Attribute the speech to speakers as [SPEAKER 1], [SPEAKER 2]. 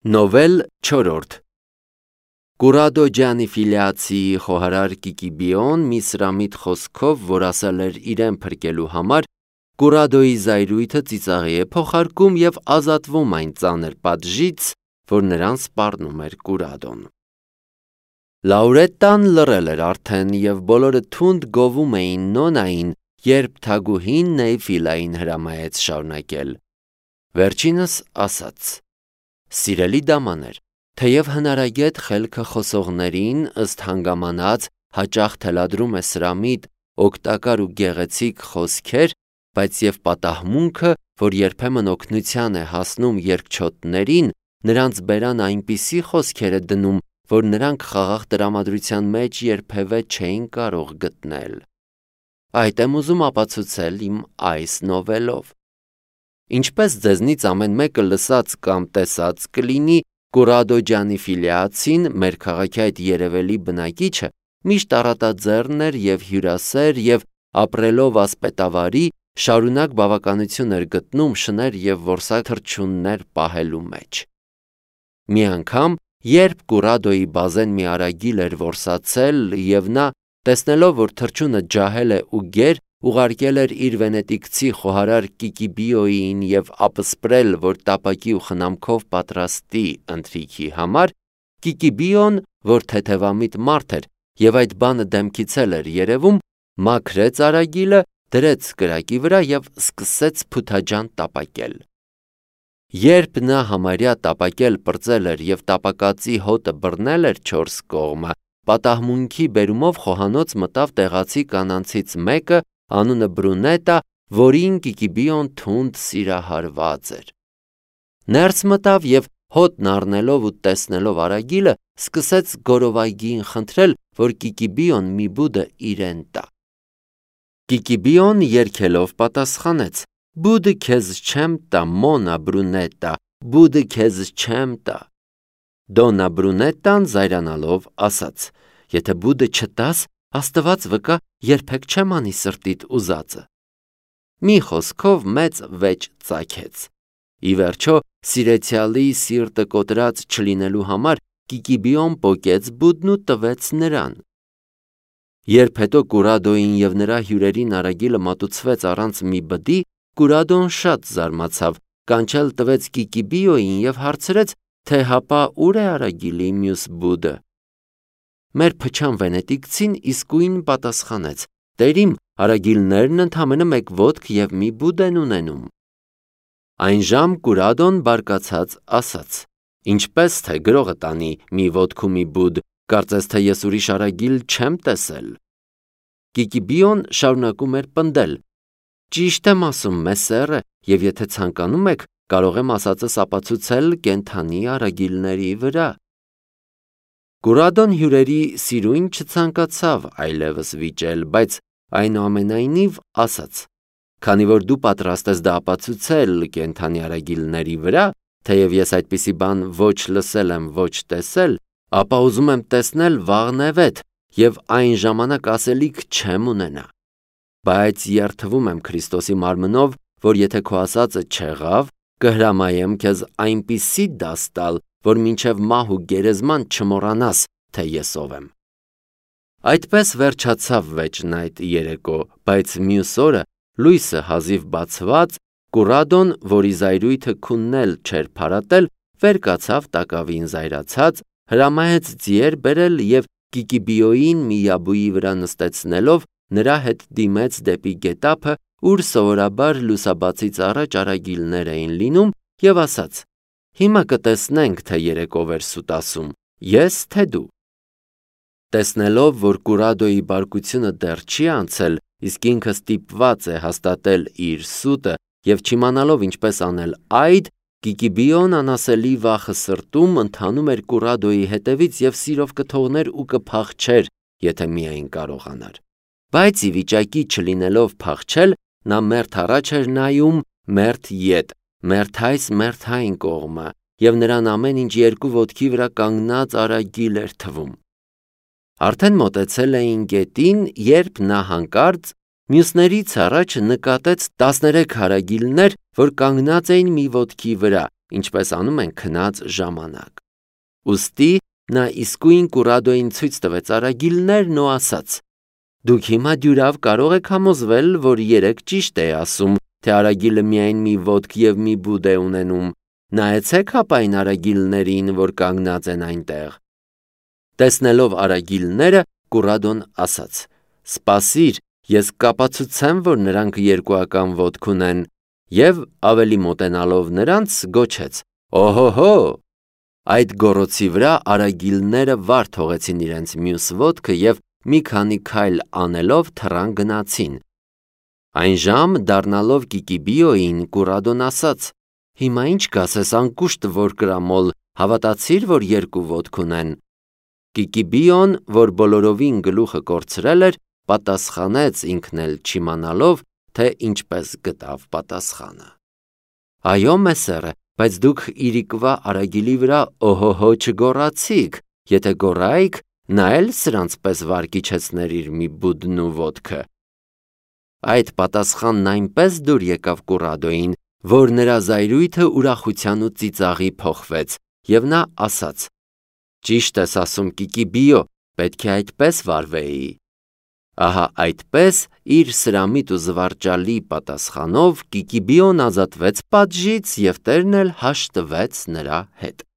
[SPEAKER 1] Նովել 4 Կուրադո ջանի ֆիլիացի խոհարար Կիկիբիոն մի սրամիտ խոսքով, որ ասել էր իրեն փրկելու համար, Կուրադոյի զայրույթը ծիծաղի է փոխարկում և ազատվում այն ծանր պատժից, որ նրան սպառնում էր Կուրադոն։ Լաուրետտան լռել էր արդեն և բոլորը թունդ գովում էին Նոնային, երբ թագուհին Նեյֆիլային հրամայեց շարունակել։ Վերջինս ասաց. Սիրելի դամաներ, թեև հնարագետ խելքը խոսողներին ըստ հանգամանած հաճախ թելադրում է սրամիտ, օգտակար ու գեղեցիկ խոսքեր, բայց և պատահմունքը, որ երբեմն օգնության է հասնում երկչոտներին, նրանց բերան այնպիսի խոսքեր է դնում, որ նրանք խաղաղ տրամադրության մեջ երբևէ չէին կարող գտնել։ Այդ եմ ուզում ապացուցել իմ այս նովելով։ Ինչպես ձեզնից ամեն մեկը լսած կամ տեսած կլինի, Կուրադո ջանի ֆիլիացին, մեր քաղաքի այդ երևելի բնակիչը, միշտ առատաձեռն էր և հյուրասեր և ապրելով ասպետավարի, շարունակ բավականություն էր գտնում շներ և որսաթռչուններ պահելու մեջ։ Մի անգամ, երբ Կուրադոյի բազեն մի արագիլ էր որսացել և նա, տեսնելով, որ թռչունը ջահել է ու գեր, ուղարկել էր իր վենետիկցի խոհարար Կիկիբիոյին և ապսպրել, որ տապակի ու խնամքով պատրաստի ընթրիքի համար, Կիկիբիոն, որ թեթևամիտ մարդ էր և այդ բանը դեմքից էլ էր երևում, մաքրեց արագիլը, դրեց կրակի վրա և սկսեց փութաջան տապակել։ Երբ նա համարյա տապակել պրծել էր և տապակածի հոտը բռնել էր 4 կողմը, պատահմունքի բերումով խոհանոց մտավ տեղացի կանանցից մեկը, անունը Բրունետա, որին Կիկիբիոն թունդ սիրահարված էր։ Ներս մտավ և հոտն առնելով ու տեսնելով արագիլը, սկսեց գորովայգիին խնդրել, որ Կիկիբիոն մի բուդը իրեն տա։ Կիկիբիոն երգելով պատասխանեց. «Բուդը քեզ չեմ տա, Մոնա Բրունետա, բուդը քեզ չեմ տա»։ Դոննա Բրունետան զայրանալով ասաց. «Եթե բուդը չտաս, Աստված վկա, երբեք չեմ անի սրտիդ ուզածը»։ Մի խոսքով մեծ վեճ ծագեց։ Ի վերջո, սիրեցյալի սիրտը կոտրած չլինելու համար Կիկիբիոն պոկեց բուդն ու տվեց նրան։ Երբ հետո Կուրադոյին և նրա հյուրերին արագիլը մատուցվեց առանց մի բդի, Կուրադոն շատ զարմացավ, կանչել տվեց Կիկիբիոյին և հարցրեց, թե հապա ուր է արագիլի մյուս բուդը։ Մեր փչան վենետիկցին իսկույն պատասխանեց. «Տերիմ, արագիլներն ընդամենը մեկ ոտք և մի բուդ են ունենում»։ Այնժամ Կուրադոն բարկացած ասաց. «Ինչպես թե գրողը տանի մի ոտք ու մի բուդ, կարծես թե ես ուրիշ արագիլ չեմ տեսել»։ Կիկիբիոն շարունակում էր պնդել. «Ճիշտ եմ ասում, մեսերը, և եթե ցանկանում եք, կարող եմ ասածս ապացուցել կենդանի արագիլների վրա»։ Կուրադոն հյուրերի սիրույն չցանկացավ այլևս վիճել, բայց այնուամենայնիվ ասաց. «Քանի որ դու պատրաստ ես դա ապացուցել կենդանի արագիլների վրա, թեև ես այդպիսի բան ոչ լսել եմ, ոչ տեսել, ապա ուզում եմ տեսնել վաղնևեթ և այն ժամանակ ասելիք չեմ ունենա։ Բայց երդվում եմ Քրիստոսի մարմնով, որ եթե քո ասածը չեղավ, կհրամայեմ քեզ այնպիսի դաս տալ, որ մինչև մահ ու գերեզման չմոռանաս, թե ես ով եմ»։ Այդպես վերջացավ վեճն այդ երեկո, բայց մյուս օրը, լույսը հազիվ բացված, Կուրադոն, որի զայրույթը քունն էլ չէր փարատել, վեր կացավ տակավին զայրացած, հրամայեց ձիեր բերել և Կիկիբիոյին միաբույի վրա նստեցնելով, նրա հետ դիմեց դեպի գետափը, ուր սովորաբար լուսաբացից առաջ արագիլներ էին լինում, և ասաց. «Հիմա կտեսնենք, թե երեկով էր սուտ ասում, ես թե դու»։ Տեսնելով, որ Կուրադոյի բարկությունը դեռ չի անցել, իսկ ինքը ստիպված է հաստատել իր սուտը և չիմանալով ինչպես անել այդ, Կիկիբիոն անասելի վախը սրտում ընթանում էր Կուրադոյի հետևից և սիրով կթողներ ու կփախչեր, եթե միայն կարողանար։ Բայց ի վիճակի չլինելով փախչել, նա մերթ առաջ էր նայում, մերթ ետ, մերթ այս, մերթ այն կողմը, և նրան ամեն ինչ երկու ոտքի վրա կանգնած արագիլ էր թվում։ Արդեն մոտեցել էին գետին, երբ նա հանկարծ մյուսներից առաջ նկատեց 13 արագիլներ, որ կանգնած էին մի ոտքի վրա, ինչպես անում են քնած ժամանակ։ Ուստի նա իսկույն Կուրադոյին ցույց տվեց արագիլներն ու ասաց. «Դուք հիմա դյուրավ կարող եք համոզվել, որ երեք ճիշտ է ասում, թե արագիլը միայն մի ոտք և մի բուդ է ունենում։ Նայեցեք հապա այն արագիլներին, որ կանգնած են այնտեղ»։ Տեսնելով արագիլները, Կուրադոն ասաց. «Սպասիր, ես կապացուցեմ, որ նրանք երկուական ոտք ունեն», և ավելի մոտենալով նրանց գոչեց. «Օհո-հո»։ Այդ գոռոցի վրա արագիլները վար թողեցին իրենց մյուս ոտքը և մի քանի քայլ անելով թռան գնացին։ Այն ժամ դառնալով Կիկիբիոյին, Կուրադոն ասաց. «Հիմա ինչ կասես անկուշտ որ կրամոլ, հավատացիր, որ երկու ոտք ունեն»։ Կիկիբիոն, որ բոլորովին գլուխը կորցրել էր, պատասխանեց ինքն էլ չիմանալով, թե ինչպես գտավ պատասխանը. «Այո, մեսերը, բայց դուք իրիկվա արագիլի վրա օհո-հո չգոռացիք, եթե գոռայիք, նա էլ սրանց պես վար կիջեցներ իր մի բուդն ու ոտքը»։ Այդ պատասխանն այնպես դուր եկավ Կուրադոյին, որ նրա զայրույթը ուրախության ու ծիծաղի փոխվեց, և նա ասաց. «Ճիշտ ես ասում, Կիկիբիո, պետք է այդպես վարվեի»։ Ահա այդպես իր սրամիտ ու զվարճալի պատասխանով Կիկիբիոն ազատվեց պատժից և տերն էլ հաշտվեց նրա հետ։